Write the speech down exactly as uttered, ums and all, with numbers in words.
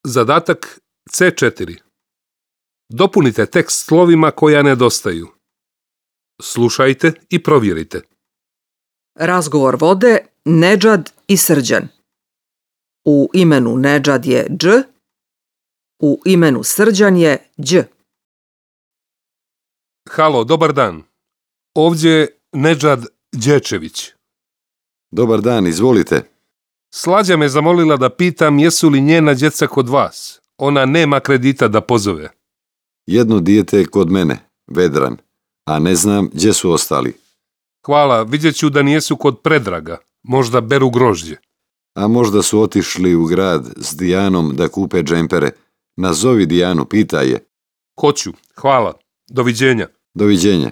Zadatak ce četiri. Dopunite tekst slovima koja nedostaju. Slušajte i provjerite. Razgovor vode Nedžad i Srđan. U imenu Nedžad je dž, u imenu Srđan je đ. Halo, dobar dan. Ovdje je Nedžad Đečević. Dobar dan, izvolite. Slađa me zamolila da pitam jesu li njena djeca kod vas. Ona nema kredita da pozove. Jedno dijete je kod mene, Vedran, a ne znam gdje su ostali. Hvala, vidjet ću da nijesu kod Predraga. Možda beru grožđe. A možda su otišli u grad s Dijanom da kupe džempere. Nazovi Dijanu, pitaj je. Hoću, hvala. Doviđenja. Doviđenja.